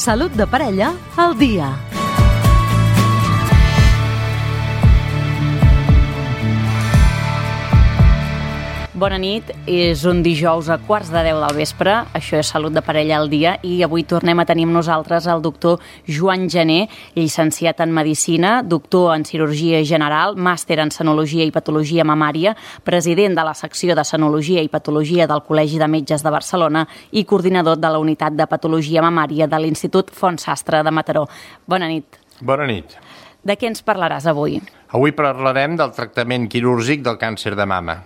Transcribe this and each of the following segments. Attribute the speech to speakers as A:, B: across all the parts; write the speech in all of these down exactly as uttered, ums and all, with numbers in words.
A: Salut de parella al dia. Bona nit, és un dijous a quarts de deu del vespre, això és Salut de parella al dia i avui tornem a tenir amb nosaltres el doctor Joan Gené, llicenciat en Medicina, doctor en Cirurgia General, màster en Senologia i Patologia Mamària, president de la secció de Senologia i Patologia del Col·legi de Metges de Barcelona i coordinador de la Unitat de Patologia Mamària de l'Institut Font Sastre de Mataró. Bona nit.
B: Bona nit.
A: De què ens parlaràs avui?
B: Avui parlarem del tractament quirúrgic del càncer de mama.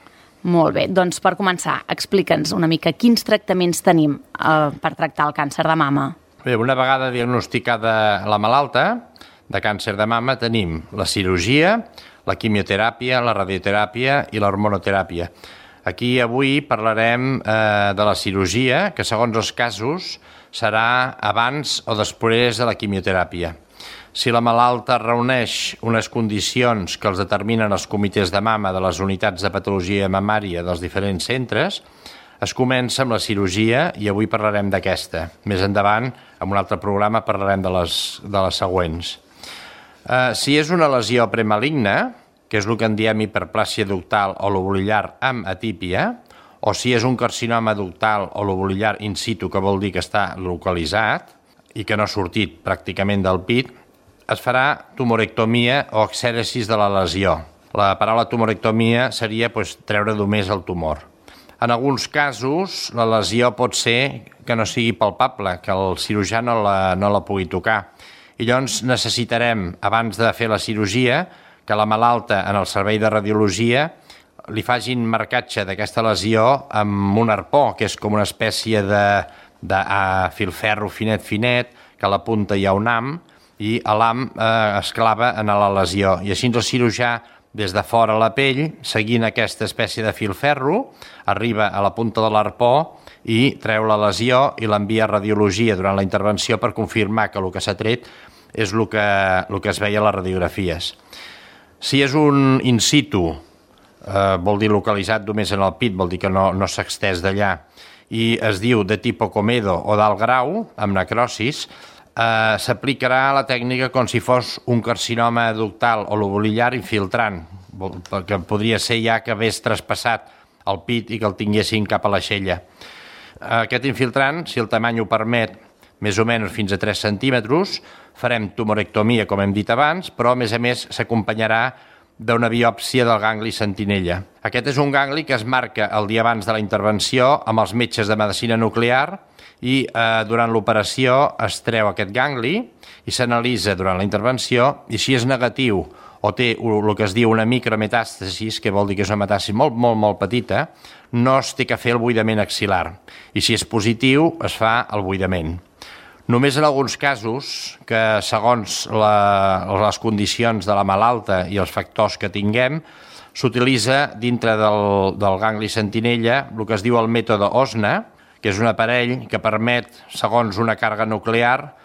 A: Molt bé, doncs per començar, explica'ns una mica quins tractaments tenim eh, per tractar el càncer de mama.
B: Bé, una vegada diagnosticada la malalta de càncer de mama tenim la cirurgia, la quimioteràpia, la radioteràpia i l'hormonoteràpia. Aquí avui parlarem eh, de la cirurgia, que segons els casos serà abans o després de la quimioteràpia. Si la malalta reuneix unes condicions que els determinen els comitès de mama de les unitats de patologia mamària dels diferents centres, es comença amb la cirurgia i avui parlarem d'aquesta. Més endavant, en un altre programa, parlarem de les, de les següents. Eh, si és una lesió premaligna, que és el que en diem hiperplàsia ductal o lobulillar amb atípia, o si és un carcinoma ductal o lobulillar in situ, que vol dir que està localitzat i que no ha sortit pràcticament del pit, es farà tumorectomia o exèresi de la lesió. La paraula tumorectomia seria pues, treure només el tumor. En alguns casos, la lesió pot ser que no sigui palpable, que el cirurgià no la, no la pugui tocar. I llavors necessitarem, abans de fer la cirurgia, que la malalta en el servei de radiologia li facin marcatge d'aquesta lesió amb un arpó, que és com una espècie de, de uh, filferro finet finet, que a la punta hi ha un ham, i l'ham eh, es clava en la lesió. I així el cirurgià, des de fora a la pell, seguint aquesta espècie de filferro, arriba a la punta de l'arpó i treu la lesió i l'envia a radiologia durant la intervenció per confirmar que el que s'ha tret és el que, el que es veia a les radiografies. Si és un in situ, eh, vol dir localitzat només en el pit, vol dir que no, no s'ha extès d'allà, i es diu de tipo Comedo o d'alt grau, amb necrosis, Uh, s'aplicarà la tècnica com si fos un carcinoma ductal o lobulillar infiltrant, que podria ser ja que hagués traspassat el pit i que el tinguessin cap a l'aixella. Uh, aquest infiltrant, si el tamany ho permet, més o menys fins a tres centímetres, farem tumorectomia, com hem dit abans, però a més a més s'acompanyarà d'una biòpsia del gangli sentinella. Aquest és un gangli que es marca el dia abans de la intervenció amb els metges de medicina nuclear i eh, durant l'operació es treu aquest gangli i s'analitza durant la intervenció i si és negatiu o té el que es diu una micrometàstasis, que vol dir que és una metàstasis molt, molt, molt petita, no es té que fer el buidament axil·lar. I si és positiu, es fa el buidament. Només en alguns casos, que segons la, les condicions de la malalta i els factors que tinguem, s'utilitza dintre del, del gangli sentinella el que es diu el mètode Osna, que és un aparell que permet, segons una càrrega nuclear,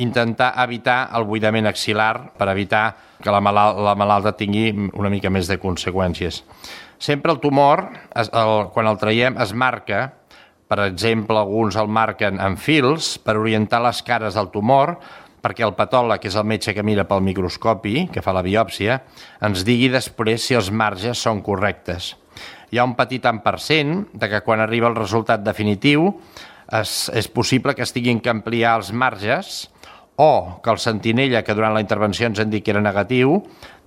B: intentar evitar el buidament axil·lar per evitar que la, malal la malalta tingui una mica més de conseqüències. Sempre el tumor, es, el, quan el traiem, es marca, per exemple, alguns el marquen en fils per orientar les cares del tumor, perquè el patòleg, que és el metge que mira pel microscopi, que fa la biòpsia, ens digui després si els marges són correctes. Hi ha un petit tant per cent de que quan arriba el resultat definitiu és, és possible que es tinguin que ampliar els marges o que el sentinella, que durant la intervenció ens han dit que era negatiu,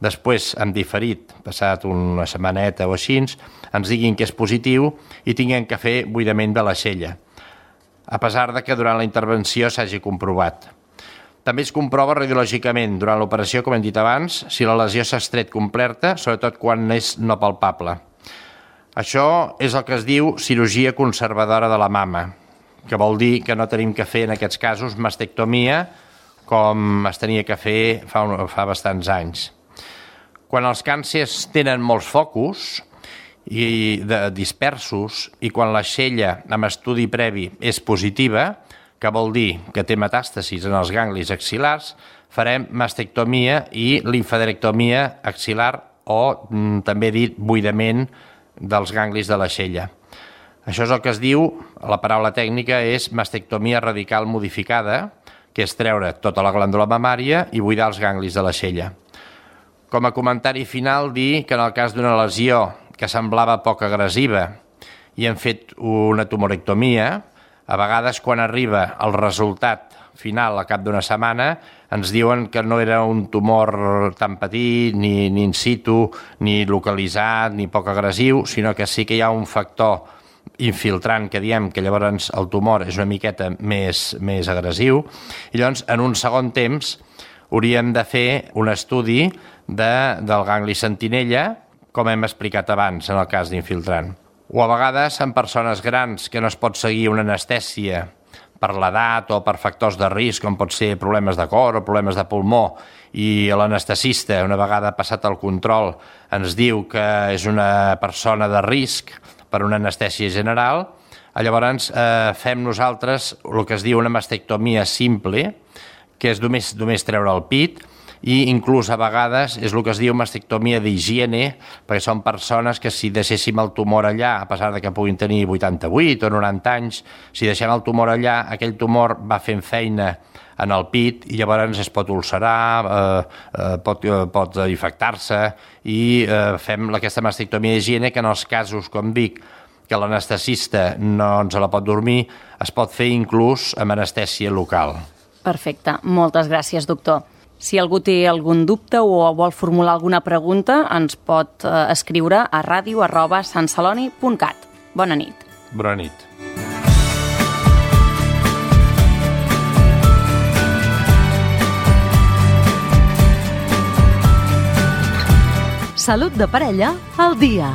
B: després, en diferit, passat una setmaneta o així, ens diguin que és positiu i tinguem que fer buidament de l'aixella, a pesar de que durant la intervenció s'hagi comprovat. També es comprova radiològicament durant l'operació, com hem dit abans, si la lesió s'ha extret completa, sobretot quan és no palpable. Això és el que es diu cirurgia conservadora de la mama, que vol dir que no tenim que fer en aquests casos mastectomia com es tenia que fer fa, un, fa bastants anys. Quan els càncers tenen molts focus i de, dispersos i quan l'aixella amb estudi previ és positiva, que vol dir que té metàstasis en els ganglis axil·lars, farem mastectomia i limfaderectomia axil·lar o mm, també dit buidament dels ganglis de l'aixella. Això és el que es diu, la paraula tècnica és mastectomia radical modificada, que és treure tota la glàndula mamària i buidar els ganglis de l'aixella. Com a comentari final, dir que en el cas d'una lesió que semblava poc agressiva i hem fet una tumorectomia, a vegades quan arriba el resultat final a cap d'una setmana ens diuen que no era un tumor tan petit, ni, ni in situ, ni localitzat, ni poc agressiu, sinó que sí que hi ha un factor infiltrant que diem que llavors el tumor és una miqueta més, més agressiu, i llavors en un segon temps hauríem de fer un estudi de, del gangli sentinella, com hem explicat abans en el cas d'infiltrant. O a vegades en persones grans que no es pot seguir una anestèsia per l'edat o per factors de risc, com pot ser problemes de cor o problemes de pulmó, i l'anestesista, una vegada passat el control, ens diu que és una persona de risc per una anestèsia general, llavors eh, fem nosaltres el que es diu una mastectomia simple, que és només, només treure el pit, i inclús a vegades és el que es diu mastectomia d'higiene, perquè són persones que si deixéssim el tumor allà, a pesar de que puguin tenir vuitanta-vuit o noranta anys, si deixem el tumor allà, aquell tumor va fent feina en el pit i llavors es pot ulcerar, eh, eh, pot, eh, pot infectar-se, i eh, fem aquesta mastectomia d'higiene que en els casos, com dic, que l'anestesista no ens la pot dormir, es pot fer inclús amb anestèsia local.
A: Perfecte. Moltes gràcies, doctor. Si algú té algun dubte o vol formular alguna pregunta, ens pot eh, escriure a ràdio arroba santceloni punt cat. Bona nit.
B: Bona nit.
C: Salut de parella al dia.